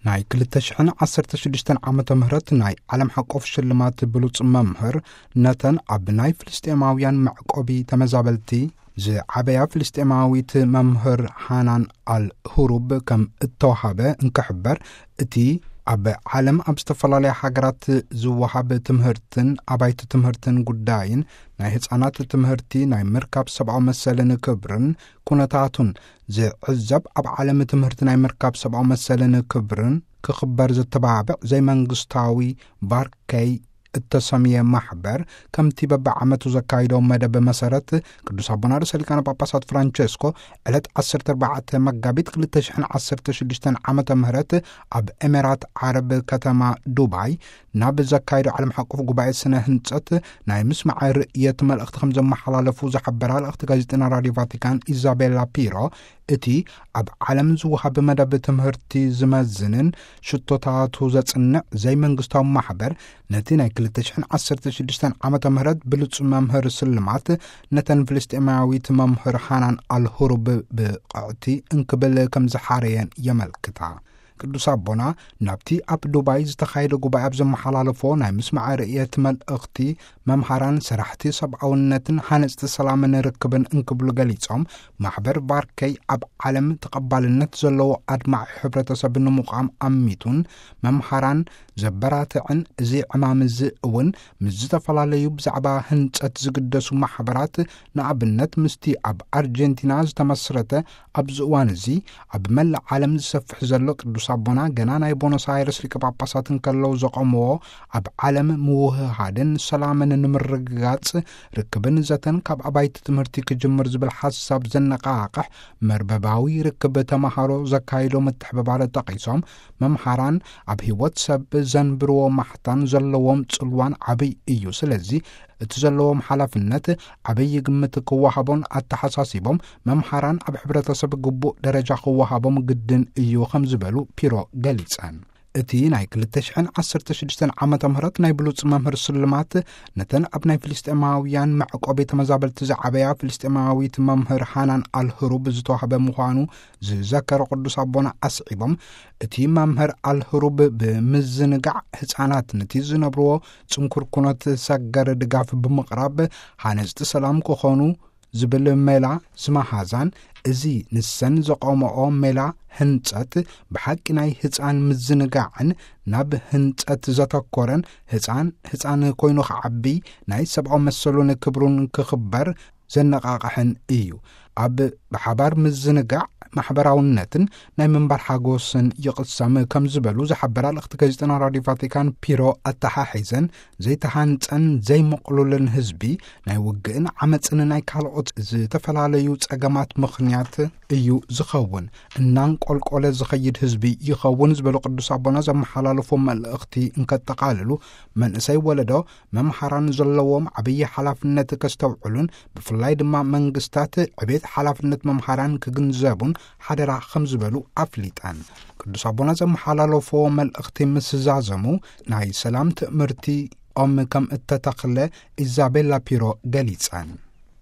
ናይ ክልተ ሽሕን ዓሰርተ ሽዱሽተን ዓመተ ምህረት ናይ ዓለም ሓቆፍ ሽልማት ብሉጽ መምህር፣ ነተን ኣብ ናይ ፍልስጤማውያን መዕቆቢ ተመዛበልቲ ዝዓበያ ፍልስጤማዊት መምህር ሃናን ኣል ሁሩብ ከም እተዋሃበ እንክሕበር፣ እቲ ኣብ ዓለም ኣብ ዝተፈላለያ ሃገራት ዝወሃብ ትምህርትን ኣባይቲ ትምህርትን ጉዳይን ናይ ህፃናት ትምህርቲ ናይ ምርካብ ሰብኣዊ መሰልን ክብርን ኩነታቱን ዝዕዘብ ኣብ ዓለም ትምህርቲ ናይ ምርካብ ሰብኣዊ መሰልን ክብርን ክኽበር ዘተባብዕ ዘይመንግስታዊ ባርከይ እተሰምየ ማሕበር፣ ከምቲ በብዓመቱ ዘካይዶ መደብ መሰረት፣ ቅዱስ ኣቦና ርእሰ ሊቃነ ጳጳሳት ፍራንቸስኮ ዕለት ዓሰርተ ኣርባዕተ መጋቢት ክልተ ሽሕን ዓሰርተ ሽዱሽተን ዓመተ ምህረት ኣብ ኤሜራት ዓረብ ከተማ ዱባይ ናብ ዘካይዶ ዓለም ሓቆፍ ጉባኤ ስነ ህንጸት ናይ ምስማዕ ርእየት መልእኽቲ ከም ዘመሓላለፉ ዝሓበራ ልእኽቲ ጋዜጠና ራድዮ ቫቲካን ኢዛቤላ ፒሮ፣ እቲ ኣብ ዓለም ዝወሃብ መደብ ትምህርቲ ዝመዝንን ሽቶታቱ ዘጽንዕ ዘይመንግስታዊ ማሕበር፣ ነቲ ናይ ክልተ ሽሕን ዓሰርተ ሽዱሽተን ዓመተ ምህረት ብሉጽ መምህር ስልማት ነተን ፍልስጤማዊት መምህር ሃናን ኣልሁሩብ ብቕዕቲ እንክብል ከም ዝሓረየን የመልክታ። ቅዱስ ኣቦና ናብቲ ኣብ ዱባይ ዝተኻየደ ጉባኤ ኣብ ዘመሓላለፎ ናይ ምስማዕ ርእየት መልእኽቲ፣ መምሃራን ሰራሕቲ ሰብኣውነትን ሃነጽቲ ሰላምን ርክብን እንክብሉ ገሊጾም፣ ማሕበር ባርከይ ኣብ ዓለም ተቐባልነት ዘለዎ ኣድማዒ ሕብረተሰብ ንምቋም ኣሚቱን መምሃራን ዘበራትዕን፣ እዚ ዕማም እዚ እውን ምስ ዝተፈላለዩ ብዛዕባ ህንጸት ዝግደሱ ማሕበራት፣ ንኣብነት ምስቲ ኣብ ኣርጀንቲና ዝተመስረተ ኣብዚ እዋን እዚ ኣብ መላእ ዓለም ዝሰፍሕ ዘሎ ቅዱስ ኣቦና ገና ናይ ቦኖስ ኣይረስ ሊቀ ጳጳሳት እንከለዉ ዘቖምዎ ኣብ ዓለም ምውህሃድን ሰላምን ንምርግጋጽ ርክብን ዘተን ካብ ኣባይቲ ትምህርቲ ክጅምር ዝብል ሓሳብ ዘነቓቕሕ መርበባዊ ርክብ ተማሃሮ ዘካይዶ ምትሕብባር ጠቒሶም፣ መምሃራን ኣብ ህይወት ሰብ ዘንብርዎ ማሕታን ዘለዎም ጽልዋን ዓብይ እዩ። ስለዚ እቲ ዘለዎም ሓላፍነት ዓብይ ግምት ክወሃቦን ኣተሓሳሲቦም፣ መምሃራን ኣብ ሕብረተሰብ ግቡእ ደረጃ ክወሃቦም ግድን እዩ ከም ዝበሉ ፒሮ ገሊጸን። እቲ ናይ ክልተ ሽሕን ዓሰርተ ሽዱሽተን ዓመተ ምህረት ናይ ብሉጽ መምህር ስልማት ነተን ኣብ ናይ ፍልስጤማውያን መዕቆቢ ተመዛበልቲ ዝዓበያ ፍልስጤማዊት መምህር ሃናን ኣልህሩብ ዝተዋህበ ምዃኑ ዝዘከረ ቅዱስ ኣቦና ኣስዒቦም፣ እቲ መምህር ኣልህሩብ ብምዝንጋዕ ህፃናት ነቲ ዝነብርዎ ጽንኩር ኩነት ሰገር ድጋፍ ብምቕራብ ሃነፅቲ ሰላም ክኾኑ ዝብል ሜላ ዝመሃዛን፣ እዚ ንሰን ዘቆመኦ ሜላ ህንጸት ብሓቂ ናይ ህፃን ምዝንጋዕን ናብ ህንጸት ዘተኮረን፣ ህፃን ህፃን ኮይኑ ክዓቢ ናይ ሰብኣዊ መሰሉን ክብሩን ክኽበር ዘነቓቕሕን እዩ። ኣብ ብሓባር ምዝንጋዕ ማሕበራውነትን ናይ ምንባር ሓጎስን ይቕሰም ከም ዝበሉ ዝሓበራ ልእኽቲ ጋዜጠና ራድዮ ቫቲካን ፒሮ ኣተሓሒዘን፣ ዘይተሃንጸን ዘይምቕሉልን ህዝቢ ናይ ውግእን ዓመጽን ናይ ካልኦት ዝተፈላለዩ ጸገማት ምኽንያት እዩ ዝኸውን፣ እናንቆልቆለ ዝኸይድ ህዝቢ ይኸውን ዝበሉ ቅዱስ ኣቦና ዘመሓላለፎ መልእኽቲ እንከጠቓልሉ፣ መንእሰይ ወለዶ መምሃራን ዘለዎም ዓብዪ ሓላፍነት ከስተውዕሉን ብፍላይ ድማ መንግስታት ዕቤት ሓላፍነት መምሃራን ክግንዘቡን ሓደራ ከም ዝበሉ ኣፍሊጠን። ቅዱስ ኣቦና ዘመሓላለፎ መልእኽቲ ምስ ዛዘሙ ናይ ሰላም ትእምርቲ ኦም ከም እተተኽለ ኢዛቤላ ፒሮ ገሊጸን።